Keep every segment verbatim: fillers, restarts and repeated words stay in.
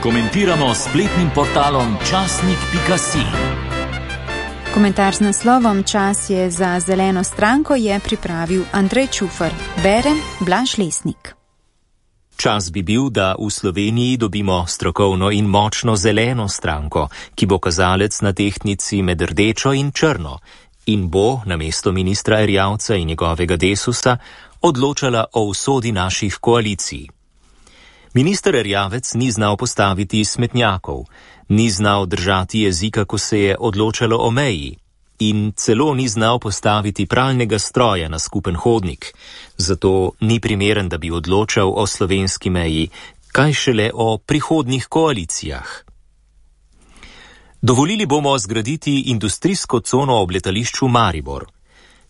Komentiramo s spletnim portalom časnik pika si. Komentar z naslovom Čas je za zeleno stranko je pripravil Andrej Čufar. Bere Blaž Lesnik. Čas bi bil, da v Sloveniji dobimo strokovno in močno zeleno stranko, ki bo kazalec na tehtnici med rdečo in črno in bo, namesto ministra Erjavca in njegovega Desusa, odločala o usodi naših koalicij. Minister Erjavec ni znal postaviti smetnjakov, ni znal držati jezika, ko se je odločalo o meji, in celo ni znal postaviti pralnega stroja na skupen hodnik, zato ni primeren, da bi odločal o slovenski meji, kaj šele o prihodnjih koalicijah. Dovolili bomo zgraditi industrijsko cono ob letališču Maribor.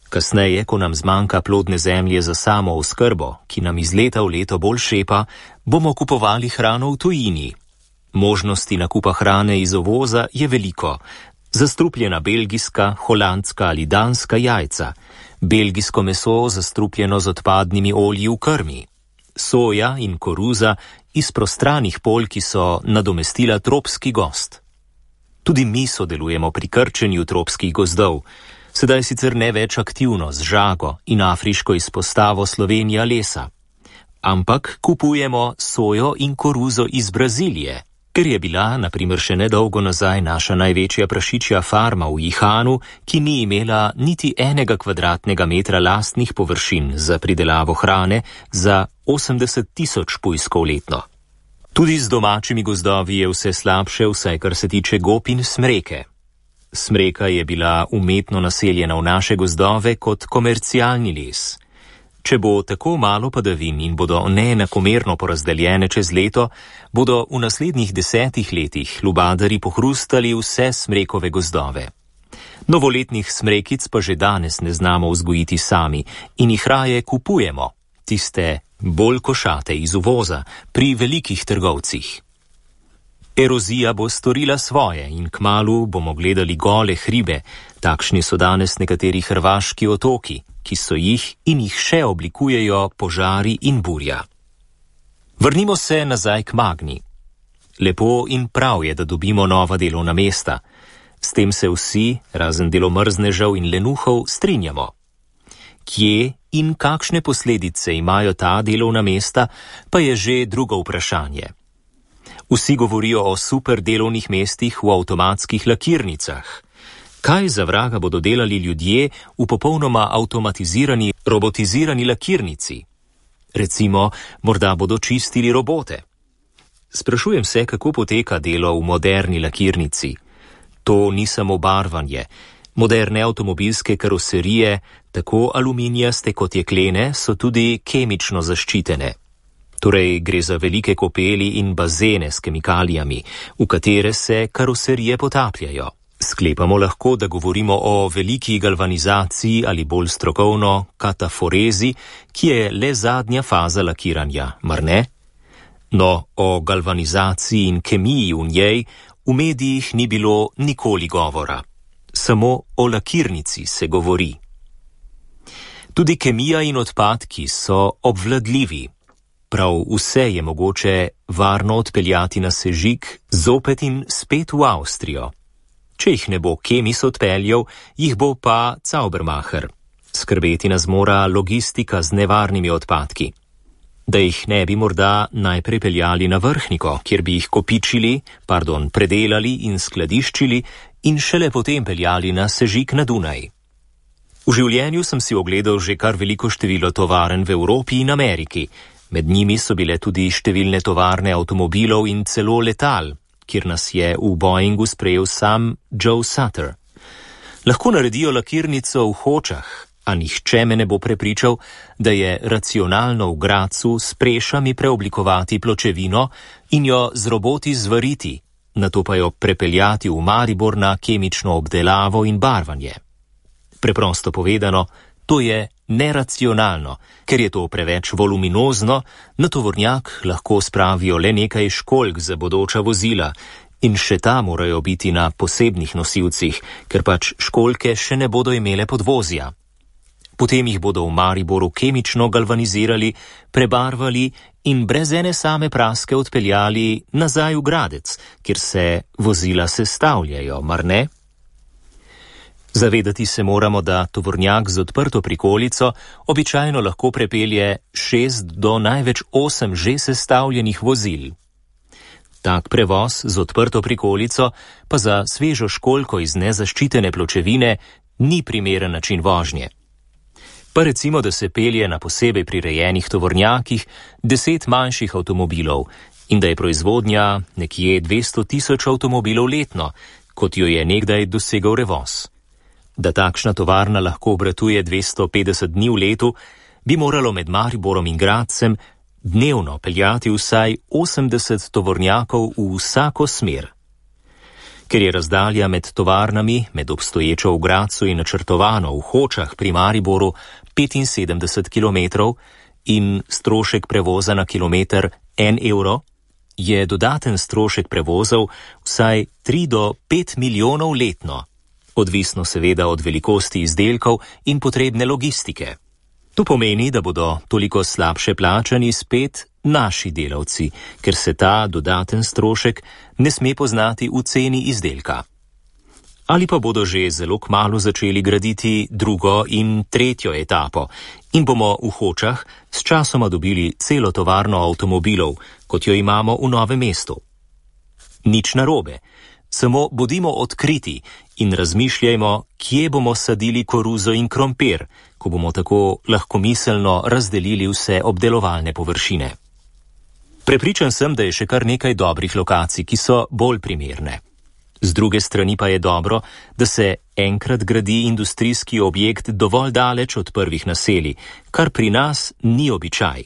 Kasneje, ko nam zmanjka plodne zemlje za samo oskrbo, ki nam iz leta v leto bolj šepa, bomo kupovali hrano v tujini. Možnosti nakupa hrane iz uvoza je veliko. Zastrupljena belgijska, holandska ali danska jajca, belgijsko meso zastrupljeno z odpadnimi olji v krmi, soja in koruza iz prostranih polj, ki so nadomestila tropski gost. Tudi mi sodelujemo pri krčenju tropskih gozdov, sedaj sicer ne več aktivno z žago in afriško izpostavo Slovenija lesa, ampak kupujemo sojo in koruzo iz Brazilije, ker je bila, na primer še nedolgo nazaj, naša največja prašičja farma v Jihanu, ki ni imela niti enega kvadratnega metra lastnih površin za pridelavo hrane za osemdeset tisoč pujskov letno. Tudi z domačimi gozdovi je vse slabše, vsaj kar se tiče gob in smreke. Smreka je bila umetno naseljena v naše gozdove kot komercialni les. Če bo tako malo padavin in bodo neenakomerno porazdeljene čez leto, bodo v naslednjih desetih letih lubadari pohrustali vse smrekove gozdove. Novoletnih smrekic pa že danes ne znamo vzgojiti sami in jih raje kupujemo, tiste bolj košate iz uvoza, pri velikih trgovcih. Erozija bo storila svoje in kmalu bomo gledali gole hribe, takšni so danes nekateri hrvaški otoki, ki so jih in jih še oblikujejo požari in burja. Vrnimo se nazaj k Magni. Lepo in prav je, da dobimo nova delovna mesta. S tem se vsi, razen delomrznežev in lenuhov, strinjamo. Kje in kakšne posledice imajo ta delovna mesta, pa je že drugo vprašanje. Vsi govorijo o super delovnih mestih v avtomatskih lakirnicah. Kaj za vraga bodo delali ljudje v popolnoma avtomatizirani, robotizirani lakirnici? Recimo, morda bodo čistili robote. Sprašujem se, kako poteka delo v moderni lakirnici. To ni samo barvanje. Moderne avtomobilske karoserije, tako aluminijaste kot jeklene, so tudi kemično zaščitene. Torej gre za velike kopeli in bazene s kemikalijami, v katere se karoserije potapljajo. Sklepamo lahko, da govorimo o veliki galvanizaciji ali bolj strokovno kataforezi, ki je le zadnja faza lakiranja, mar ne? No, o galvanizaciji in kemiji v njej v medijih ni bilo nikoli govora. Samo o lakirnici se govori. Tudi kemija in odpadki so obvladljivi. Prav vse je mogoče varno odpeljati na sežig, zopet in spet v Avstrijo. Če jih ne bo Kemis odpeljal, jih bo pa Zaubermacher. Skrbeti nas mora logistika z nevarnimi odpadki. Da jih ne bi morda najprej peljali na Vrhniko, kjer bi jih kopičili, pardon, predelali in skladiščili in šele potem peljali na sežig na Dunaj. V življenju sem si ogledal že kar veliko število tovarn v Evropi in Ameriki. Med njimi so bile tudi številne tovarne avtomobilov in celo letal, kjer nas je v Boeingu sprejel sam Joe Sutter. Lahko naredijo lakirnico v Hočah, a nihče me ne bo prepričal, da je racionalno v Gracu s prešami preoblikovati pločevino in jo z roboti zvariti, nato pa jo prepeljati v Maribor na kemično obdelavo in barvanje. Preprosto povedano, to je neracionalno, ker je to preveč voluminozno, na tovornjak lahko spravijo le nekaj školjk za bodoča vozila in še ta morajo biti na posebnih nosilcih, ker pač školjke še ne bodo imele podvozja. Potem jih bodo v Mariboru kemično galvanizirali, prebarvali in brez ene same praske odpeljali nazaj v Gradec, kjer se vozila sestavljajo, mar ne? Zavedati se moramo, da tovornjak z odprto prikolico običajno lahko prepelje šest do največ osem že sestavljenih vozil. Tak prevoz z odprto prikolico pa za svežo školjko iz nezaščitene pločevine ni primeren način vožnje. Pa recimo, da se pelje na posebej prirejenih tovornjakih deset manjših avtomobilov in da je proizvodnja nekje dvesto tisoč avtomobilov letno, kot jo je nekdaj dosegal Revoz. Da takšna tovarna lahko obratuje dvesto petdeset dni v letu, bi moralo med Mariborom in Gradcem dnevno peljati vsaj osemdeset tovornjakov v vsako smer. Ker je razdalja med tovarnami, med obstoječo v Gradcu in načrtovano v Hočah pri Mariboru petinsedemdeset kilometrov in strošek prevoza na kilometer en evro, je dodaten strošek prevozov vsaj tri do pet milijonov letno, odvisno seveda od velikosti izdelkov in potrebne logistike. To pomeni, da bodo toliko slabše plačani spet naši delavci, ker se ta dodaten strošek ne sme poznati v ceni izdelka. Ali pa bodo že zelo kmalu začeli graditi drugo in tretjo etapo in bomo v Hočah s časoma dobili celo tovarno avtomobilov, kot jo imamo v Novem mestu. Nič narobe, samo bodimo odkriti in razmišljajmo, kje bomo sadili koruzo in krompir, ko bomo tako lahkomiselno razdelili vse obdelovalne površine. Prepričan sem, da je še kar nekaj dobrih lokacij, ki so bolj primerne. Z druge strani pa je dobro, da se enkrat gradi industrijski objekt dovolj daleč od prvih naselij, kar pri nas ni običaj.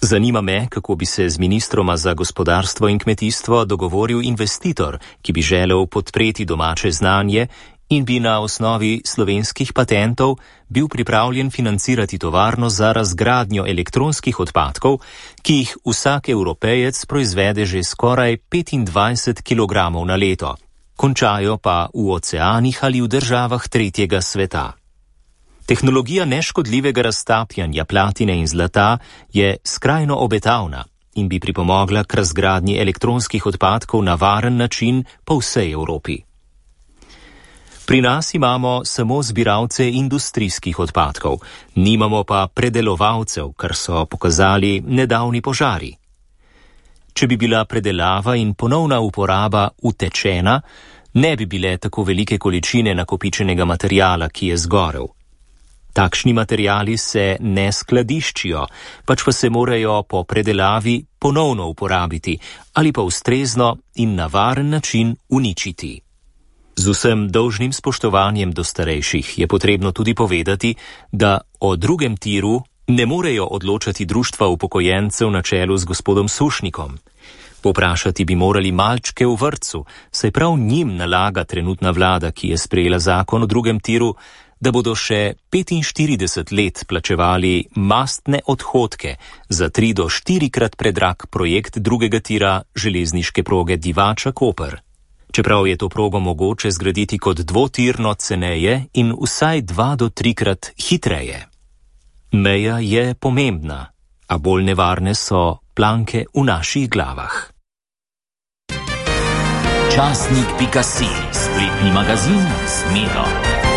Zanima me, kako bi se z ministroma za gospodarstvo in kmetijstvo dogovoril investitor, ki bi želel podpreti domače znanje in bi na osnovi slovenskih patentov bil pripravljen financirati tovarno za razgradnjo elektronskih odpadkov, ki jih vsak Evropejec proizvede že skoraj petindvajset kilogramov na leto, končajo pa v oceanih ali v državah tretjega sveta. Tehnologija neškodljivega raztapljanja platine in zlata je skrajno obetavna in bi pripomogla k razgradnji elektronskih odpadkov na varen način po vsej Evropi. Pri nas imamo samo zbiralce industrijskih odpadkov, nimamo pa predelovalcev, kar so pokazali nedavni požari. Če bi bila predelava in ponovna uporaba utečena, ne bi bile tako velike količine nakopičenega materijala, ki je zgorel. Takšni materijali se ne skladiščijo, pač pa se morajo po predelavi ponovno uporabiti ali pa ustrezno in na varen način uničiti. Z vsem dolžnim spoštovanjem do starejših je potrebno tudi povedati, da o drugem tiru ne morejo odločati društva upokojencev na čelu z gospodom Sušnikom. Poprašati bi morali malčke v vrtcu, saj prav njim nalaga trenutna vlada, ki je sprejela zakon o drugem tiru, da bodo še petinštirideset let plačevali mastne odhodke za tri do štirikrat predrag projekt drugega tira železniške proge Divača-Koper. Čeprav je to progo mogoče zgraditi kot dvotirno ceneje in vsaj dva do trikrat hitreje. Meja je pomembna, a bolj nevarne so planke v naših glavah. Časnik pika si, spletni magazin s Medo.